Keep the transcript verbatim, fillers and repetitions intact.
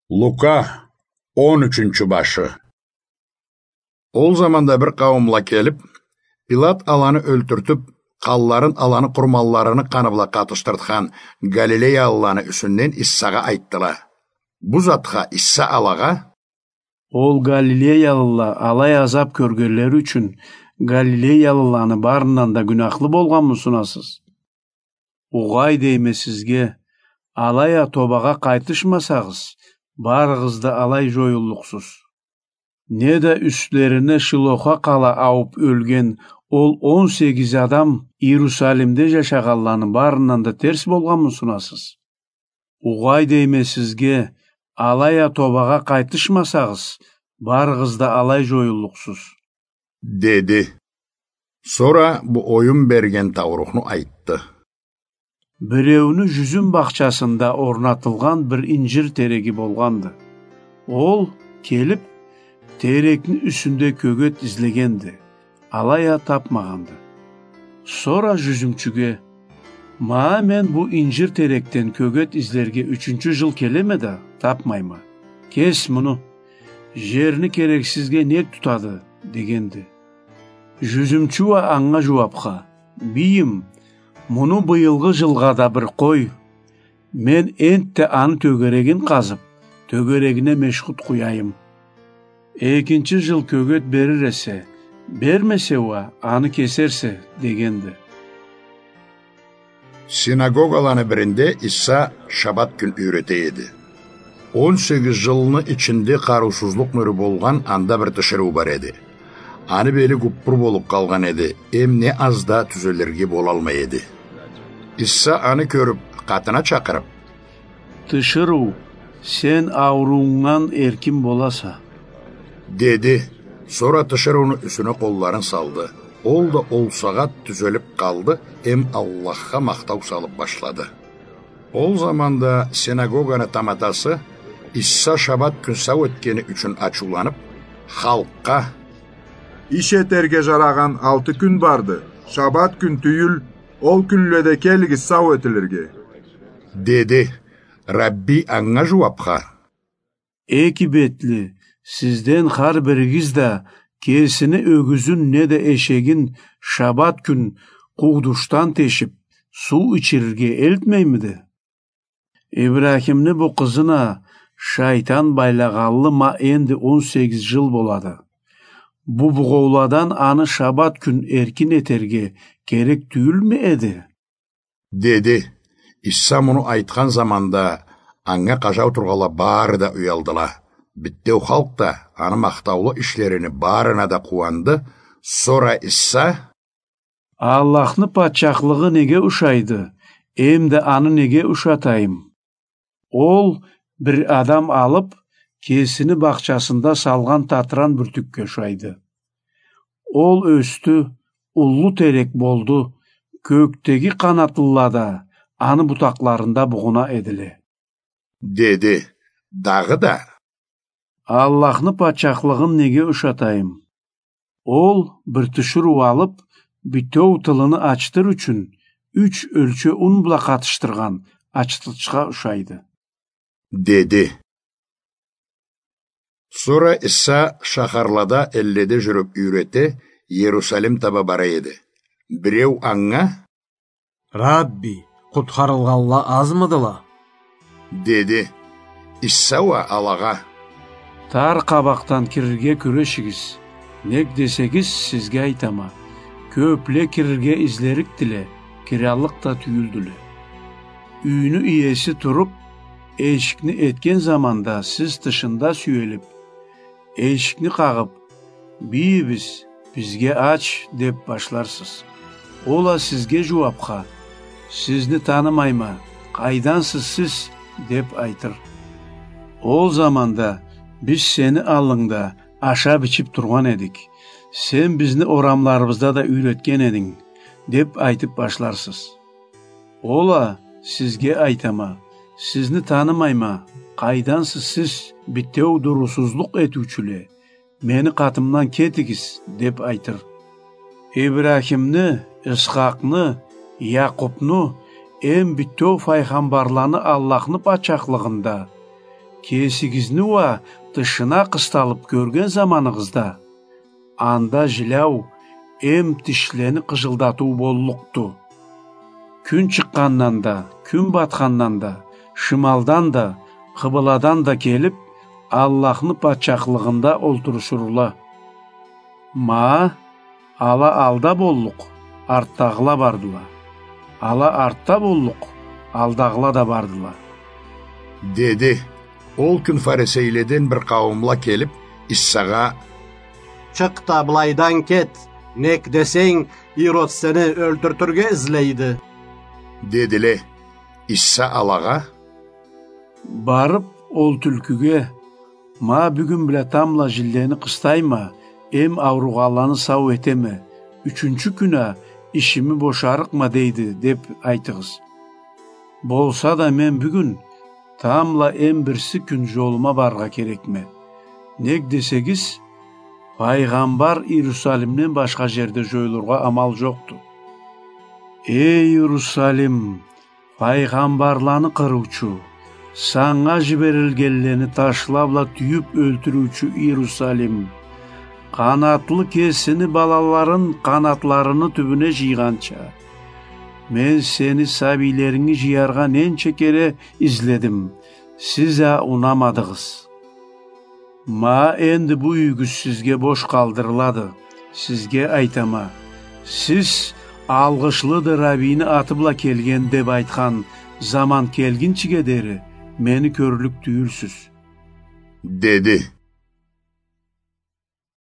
Лука, он ючюнчю башы. Ол заманда бир къауумла келип, Пилат аланы ёлтюртюп, къанларын аланы къурманларыны къаны бла къатышдыртхан галилеялыланы юсюнден Иссагъа айтдыла. Бу затха Исса алагъа: «Ол галилеялыла алай азап кёргенлери ючюн галилеялыланы барындан да гюнахлы болгъанмы сунасыз? Угъай дейме сизге, алай а тобагъа къайтышмасагъыз, барыгъыз да алай жоюллукъсуз. Неда юслерине Шилохха къала ауп ёлген ол он сегиз адам Иерусалимде жашагъанланы барындан да терс болгъанмы сунасыз? Угъай дейме сизге, алай а тобагъа къайтышмасагъыз, барыгъыз да алай жоюллукъсуз», — деди. Сора бу оюн берген таурухну айтды. Биреуню жюзюм бахчасында орнатылгъан бир инжир тереги болгъанды. Ол, келип, терекни юсюнде кёгет излегенди, алай а тапмагъанды. Сора жюзюмчюге: «Ма мен бу инжир терекден кёгет излерге ючюнчю жыл келеме да, тапмайма. Кес муну, жерни керексизге нек тутады?» — дегенди. Жюзюмчю уа анга жууапха: «Бийим, муну быйылгъы жылгъа да бир къой. Мен энтда аны тёгерегин къазып, тёгерегине мешхут къуяйым. Экинчи жыл кёгет берир эсе, бермесе уа, аны кесерсе», — дегенди. Синагогаланы биринде Иса шабат кюн юйрете эди. Он сегиз жылны ичинде къарыусузлукъ нюрю болгъан анда бир тиширыу бар эди. Аны бели гуппур болуп къалгъан эди, эм не аз да тюзелирге болалмай эди. Иса аны кёрюп, къатына чакъырып: «Тиширыу, сен ауруунгдан эркин боласа», — деди. Сора тиширыуну юсюне къолларын салды. Ол да ол сагъат тюзелип къалды, эм Аллахха махтау салып башлады. Ол заманда синагоганы таматасы Иса шабат кюн сау этгени ючюн ачыуланып, халкъгъа: «Иш этерге жарагъан алты кюн барды, шабат кюн тюйюл, ол кюнледе келигиз сау этилирге», — деди. Рабби анга жууапха: «Эки бетли, сизден хар биригиз да кесини ёгюзюн неда эшегин шабат кюн къуудушдан тешип, суу ичирирге элтмеймиди? Ибрахимни бу къызын а шайтан байлагъанлы ма энди он сегиз жыл болады. Бу бугъоуладан аны шабат кюн эркин этерге керек тюйюлмю эди?» — деди. Иса муну айтхан заманда анга къажау тургъанла бары да уялдыла. Битеу халкъ да аны махтаулу ишлерини барына да къууанды. Сора Иса: «Аллахны патчахлыгъы неге ушайды, эм да аны неге ушатайым? Ол бир адам алып, кесини бахчасында салгъан татыран бюртюкге ушайды. Ол ёсдю, уллу терек болду, кёкдеги къанатлыла да аны бутакъларында бугъуна эдиле», — деди. Дагъыда: «Аллахны патчахлыгъын неге ушатайым? Ол бир тиширыу алып, битеу тылыны ачытыр ючюн юч ёлчеу ун бла къатышдыргъан ачытычха ушайды», — деди. Сора Иса шахарлада, элледе жюрюп юйрете, Иерусалим таба бара эди. Биреу анга: «Рабби, къутхарылгъанла азмыдыла?» — деди. Иса уа алагъа: «Тар къабакъдан кирирге кюрешигиз, нек десегиз, сизге айтама, кёпле кирирге излерикдиле, кираллыкъ да тюйюлдюле. Юйню иеси туруп, эшикни этген заманда сиз тышында сюелип, эшикни къагъып: „Бийибиз, бизге ач“, — деп башларсыз. Ол а сизге жууапха: „Сизни танымайма, къайдансыз сиз?“ — деп айтыр. Ол заманда: „Биз сени аллынгда ашап-ичип тургъан эдик, сен бизни орамларыбызда да юйретген эдинг“, — деп айтып башларсыз. Ол а: „Сизге айтама, сизни танымайма, къайдансыз сиз, битеу дурусузлукъ этиучюле, мени къатымдан кетигиз“, — деп айтыр. Ибрахимни, Исхакъны, Якъупну, эм битеу файгъамбарланы Аллахны патчахлыгъында кесигизни уа тышына къысталып кёрген заманыгъызда, анда жиляу эм тишлени къыжылдатыу боллукъду. Кюн чыкъгъандан да, кюн батхандан да, шималдан да, къыбыладан да келип, Аллахны патчахлыгъында олтурушурла. Ма, ала алда боллукъ, артдагъыла бардыла. Ала артда боллукъ, алдагъыла да бардыла. Деди. Ол кюн фарисейледен бир къауумла келип, Иссагъа: «Чыкъ да, былайдан кет, нек десенг, Ирод сени ёлтюртюрге излейди», — дедиле. Исса алагъа: «Барып, ол тюлкюге: „Ма бюгюн бла тамбла жилени къыстайма, эм ауругъанланы сау этеме, ючюнчю кюн а ишими бошарыкъма дейди“, — деп айтыгъыз. Болса да мен бюгюн тамбла эм бирси кюн жолума барыргъа керекме. Нек десегиз, пайгъамбар Иерусалимден башха жерде жоюлургъа амал жокъду. Эй, Иерусалим, пайгъамбарланы къырыучу, санга жиберилгенлени ташла бла тюйюп ёлтюрюучю Иерусалим! Къанатлы кесини балаларын къанатларыны тюбюне жыйгъанча, мен сени сабийлеринги жыяргъа ненча кере изледим, сиз а унамадыгъыз. Ма энди бу юйюгюз сизге бош къалдырылады. Сизге айтама, сиз „Алгъышлыды Раббийни аты бла келген“ деп айтхан заман келгинчиге дери мени кёрлюк тюйюлсюз», — деди.